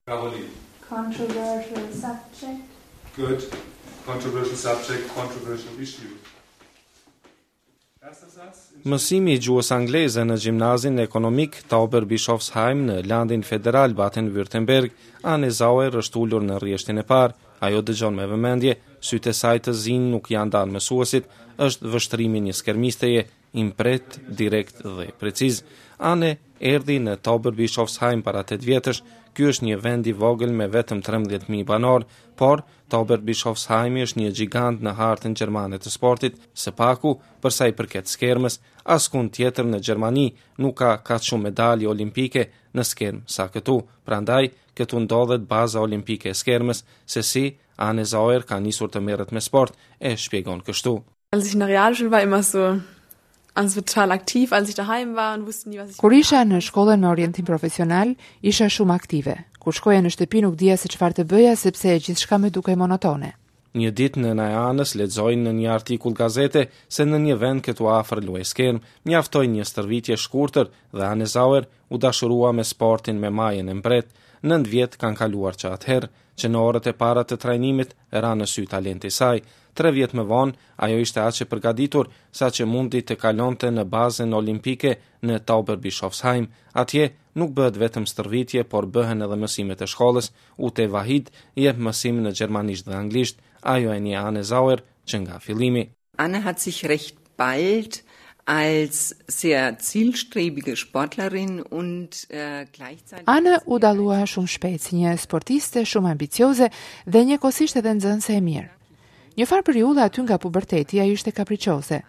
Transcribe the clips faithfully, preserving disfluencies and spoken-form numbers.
Caroline. Controversial subject. Good. Controversial subject, controversial issue. Erster Satz. Mësimi i gjuhës angleze në gjimnazin ekonomik Tauberbischofsheim në landin federal Baden-Württemberg, Anne Sauer është ulur në rrjeshtin e parë. Ajo dëgjon me vëmendje, sytë e saj të zinj nuk janë ndarë mësuesit, është vështrimi një skermisteje, i mprehtë, direkt dhe preciz. Anne erdhi në Tauberbischofsheim para tetë vjetësh. Ky është një vend i vogël me vetëm trembëdhjetë mijë banor, por Tauberbischofsheimi është një gjigant në hartën gjermane të sportit, së paku për sa i përket skermës, askund tjetër në Gjermani nuk ka kaq shumë medalje olimpike në skermë sa këtu. Prandaj, këtu ndodhet baza olimpike e skermës, se si Anne Sauer ka nisur të merret me sport, e shpjegon kështu. Als ich in der Realschule war, immer so, also total aktiv, als ich daheim war und wusste nie, was ich Kur isha në shkollën me orientim profesional, isha shumë aktive. Kur shkoja në shtëpi nuk dija se çfarë të bëja sepse gjithçka më dukej monotone. Një ditë nëna e Anës lexoi në një artikull gazete se në një vend këtu afër luaj skerm, mjaftoi një stërvitje shkurtër dhe Anne Sauer u dashurua me sportin me majën e mbret. Nëntë vjet kanë kaluar që atëherë, që në orët e para të trajnimit ra në sy talenti i saj. Tre vjet më vonë, ajo ishte aq e përgatitur sa që mundi të kalonte në bazën olimpike në Tauberbischofsheim. Atje nuk bëhet vetëm stërvitje, por bëhen edhe mësimet e shkollës. Ute Wahid jep mësim në gjermanisht dhe anglisht. Ajo e njeh Anne Sauer që nga fillimi. Anne hat sich recht bald als sehr zielstrebige Sportlerin und, äh, gleichzeitig Anne u dallua shumë shpejt si një sportiste shumë ambicioze dhe njëkohësisht edhe nxënëse e mirë. Një farë periudhe aty nga puberteti ajo ishte kapriçoze,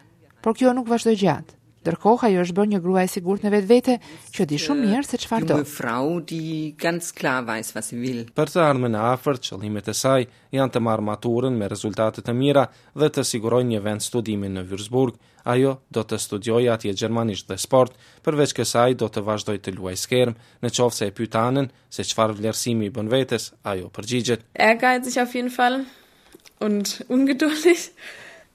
por kjo nuk vazhdoi gjatë. Ndërkohë ajo është bërë një grua e sigurt në vetvete që di shumë mirë se çfarë do. Junge Frau, die ganz klar weiß, was sie will. Për të ardhmen e afërt, qëllimet e saj janë të marrë maturën me rezultate të mira dhe të sigurojë një vend studimi në Würzburg. Ajo do të studiojë atje gjermanisht dhe sport. Përveç kësaj do të vazhdojë të luajë skerm. Në qoftë se e pyet Anën se çfarë vlerësimi i bën vetes, ajo përgjigjet: Ehrgeizig auf jeden Fall und ungeduldig,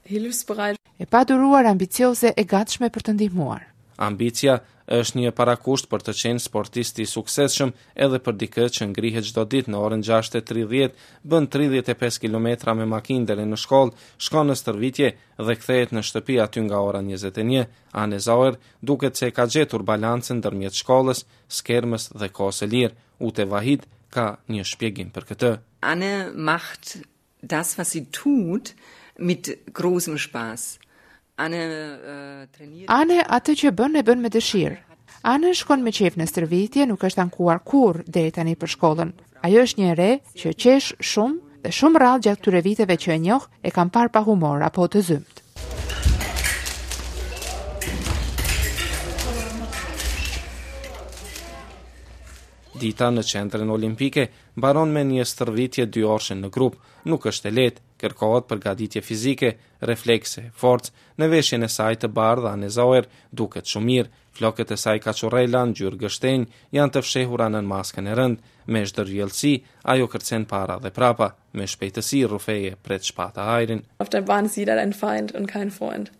hilfsbereit. E paduruar, ambicioze, e gatshme për të ndihmuar. Ambicia është një parakusht për të qenë sportist i suksesshëm edhe për dikë që ngrihet çdo ditë në orën gjashtë e tridhjetë, bën tridhjetë e pesë kilometra me makinë deri në shkollë, shkon në stërvitje dhe kthehet në shtëpi aty nga ora njëzet e një. Anne Sauer duket se ka gjetur balancën ndërmjet shkollës, skermës dhe kohës së lirë. Ute Wahid ka një shpjegim për këtë. Anne macht das, was sie tut, mit großem Spaß. Anne, äh, trainiert Anne atë që bën e bën me dëshirë. Anne shkon me qejf në stërvitje, nuk është ankuar kurrë deri tani për shkollën. Ajo është një e re që qesh shumë dhe shumë rrallë gjatë këtyre viteve që e njoh e kam parë pa humor apo të zymtë. Dita në qendrën olimpike mbaron me një stërvitje dy orëshe në grup. Nuk është e lehtë, kërkohet përgatitje fizike, reflekse, forcë. Në veshjen e saj të bardhë, Anne Sauer duket shumë mirë. Flokët e saj kaçurrela ngjyrë gështenjë janë të fshehura nën maskën e rëndë. Me zhdërvjellësi, ajo kërcen para dhe prapa, me shpejtësi rrufeje pret shpata ajrin. Auf der Bahn ist jeder dein Feind und kein Freund.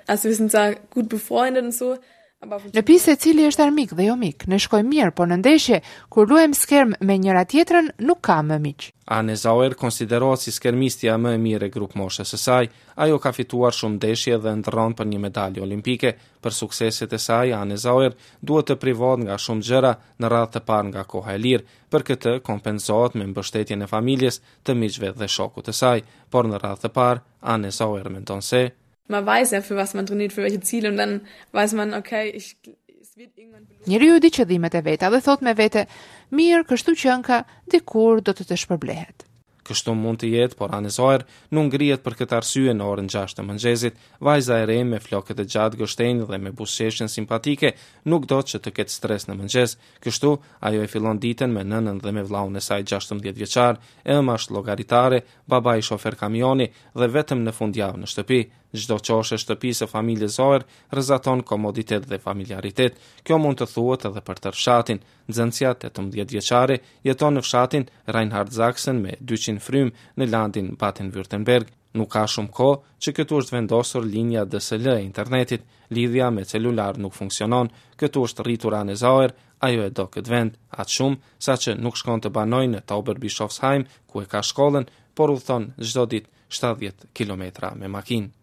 Also wir sind zwar gut befreundet und so, aber auf dem Në pistë secili është armik dhe jo mik. Ne shkojmë mirë, por në ndeshje kur luajmë skerm me njëra tjetrën nuk ka më miq. Anne Sauer konsiderohet si skermistja më e mirë e grup moshës së saj. Ajo ka fituar shumë ndeshje dhe ndërron për një medalje olimpike. Për sukseset e saj, Anne Sauer duhet të privohet nga shumë gjëra, në radhë të parë nga koha e lirë. Për këtë kompensohet me mbështetjen e familjes, të miqve dhe shokut të saj, por në radhë të parë Anne Sauer mendon se man weiß ja, für was man trainiert, für welche Ziele und dann weiß man, okay, ich, es wird irgendwann belohnt. Njeriu di qëllimet e veta dhe thot me vete, mirë, kështu qenka, dikur do të të shpërblehet. Kështu mund të jetë, por Anne Sauer nuk ngrihet për këtë arsye në orën gjashtë të mëngjesit. Vajza e re me flokët e gjatë gështenjë dhe me buzëqeshjen simpatike nuk do që të ketë stres në mëngjes. Kështu, ajo e fillon ditën me nënën dhe me vllaun e saj gjashtëmbëdhjetë vjeçar. E ëma është llogaritare, babai shofer kamioni dhe vetëm në fundjavë në shtëpi. Çdo qoshe e shtëpisë së familjes Sauer rrezaton komoditet dhe familjaritet. Kjo mund të thuhet edhe për tërë fshatin. Nxënësja tetëmbëdhjetë vjeçare jeton në fshatin Reinhard Sachsen me dyqind frymë në landin Baden-Württemberg. Nuk ka shumë kohë që këtu është vendosur linja D S L e internetit, lidhja me celular nuk funksionon. Këtu është rritur Anne Sauer, ajo e do këtë vend, aq shumë sa që nuk shkon të banojë në Tauberbischofsheim, ku e ka shkollën, por udhëton çdo ditë shtatëdhjetë kilometra me makinë.